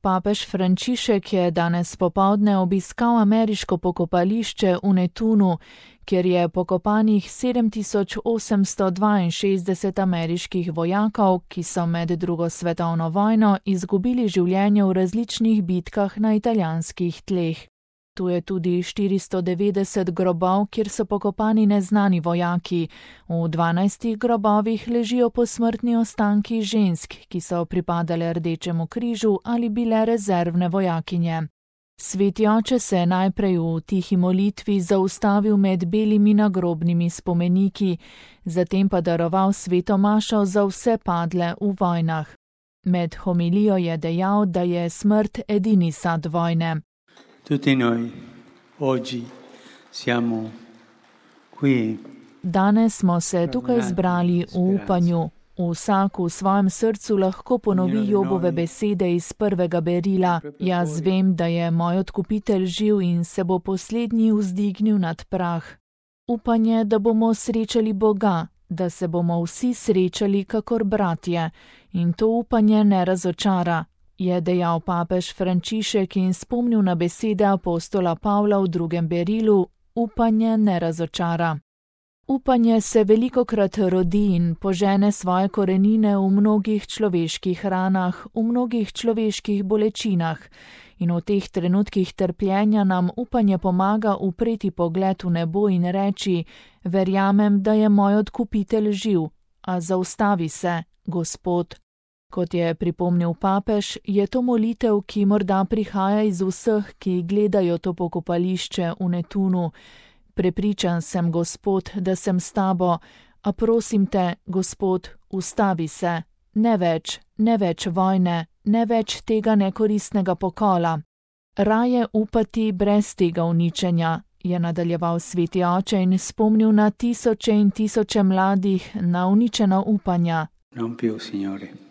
Papež Frančišek je danes popoldne obiskal ameriško pokopališče v Netunu, kjer je pokopanih 7862 ameriških vojakov, ki so med drugo svetovno vojno izgubili življenje v različnih bitkah na italijanskih tleh. Tu je tudi 490 grobov, kjer so pokopani neznani vojaki. V 12 grobovih ležijo posmrtni ostanki žensk, ki so pripadale Rdečemu križu ali bile rezervne vojakinje. Sveti oče se je najprej v tihi molitvi zaustavil med belimi nagrobnimi spomeniki, zatem pa daroval sveto mašo za vse padle v vojnah. Med homilijo je dejal, da je smrt edini sad vojne. Tutti noi oggi siamo qui. Danes smo se tukaj zbrali v upanju. Vsak v svojem srcu lahko ponovi Jobove besede iz prvega berila. Jaz vem, da je moj odkupitelj živ in se bo poslednji vzdignil nad prah. Upanje, da bomo srečali Boga, da se bomo vsi srečali kakor bratje, in to upanje ne razočara, je dejal papež Frančišek in spomnil na besede apostola Pavla v drugem berilu: upanje ne razočara. Upanje se velikokrat rodi in požene svoje korenine v mnogih človeških ranah, v mnogih človeških bolečinah, in v teh trenutkih trpljenja nam upanje pomaga upreti pogled v nebo in reči: verjamem, da je moj odkupitelj živ, a zaustavi se, Gospod. Kot je pripomnil papež, je to molitev, ki morda prihaja iz vseh, ki gledajo to pokopališče v Netunu. Prepričan sem, Gospod, da sem s tabo, a prosim te, Gospod, ustavi se. Ne več vojne, ne več tega nekoristnega pokola. Raje upati brez tega uničenja, je nadaljeval sveti oče in spomnil na tisoče in tisoče mladih, na uničena upanja. Non più, Signore.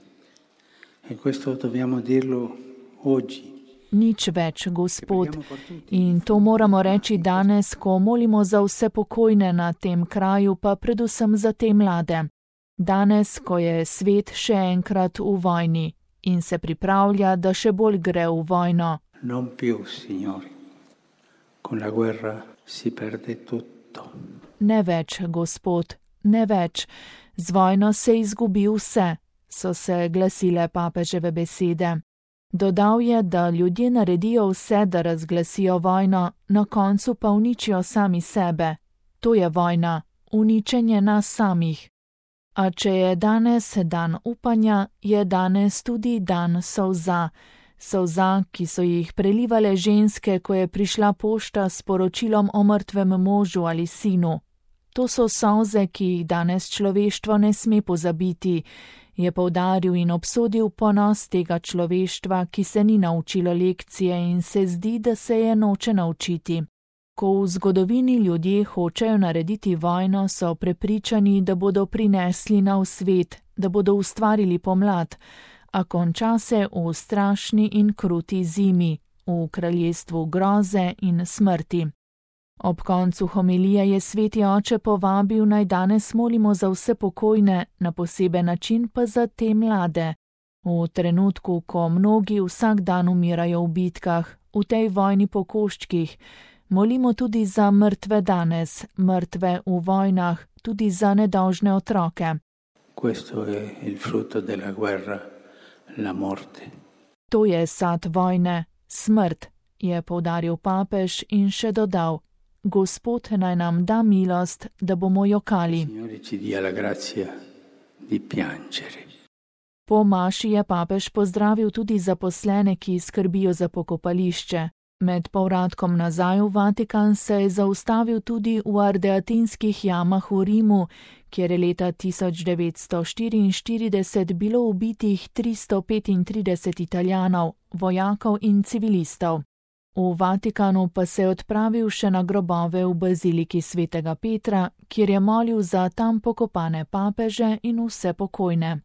E questo dobbiamo dirlo oggi. Nič več, Gospod. In to moramo reči danes, ko molimo za vse pokojne na tem kraju, pa predvsem za te mlade. Danes, ko je svet še enkrat v vojni in se pripravlja, da še bolj gre v vojno. Non più, Signore. Con la guerra si perde tutto. Ne več, Gospod, ne več. Z vojno se izgubi vse, so se glasile papeževe besede. Dodal je, da ljudje naredijo vse, da razglasijo vojno, na koncu pa uničijo sami sebe. To je vojna, uničenje nas samih. A če je danes dan upanja, je danes tudi dan solza. Solza, ki so jih prelivale ženske, ko je prišla pošta s poročilom o mrtvem možu ali sinu. To so solze, ki jih danes človeštvo ne sme pozabiti, je poudaril in obsodil ponos tega človeštva, ki se ni naučilo lekcije in se zdi, da se je noče naučiti. Ko v zgodovini ljudje hočejo narediti vojno, so prepričani, da bodo prinesli nov svet, da bodo ustvarili pomlad, a konča se v strašni in kruti zimi, v kraljestvu groze in smrti. Ob koncu homilije je sveti oče povabil, naj danes molimo za vse pokojne, na poseben način pa za te mlade. V trenutku, ko mnogi vsak dan umirajo v bitkah, v tej vojni po koščkih, molimo tudi za mrtve danes, mrtve v vojnah, tudi za nedolžne otroke. Questo è il frutto della guerra, la morte. To je sad vojne, smrt, je poudaril papež in še dodal: Gospod naj nam da milost, da bomo jokali. Po maši je papež pozdravil tudi zaposlene, ki skrbijo za pokopališče. Med povratkom nazaj v Vatikan se je zaustavil tudi v Ardeatinskih jamah v Rimu, kjer je leta 1944 bilo ubitih 335 Italijanov, vojakov in civilistov. V Vatikanu pa se je odpravil še na grobove v baziliki svetega Petra, kjer je molil za tam pokopane papeže in vse pokojne.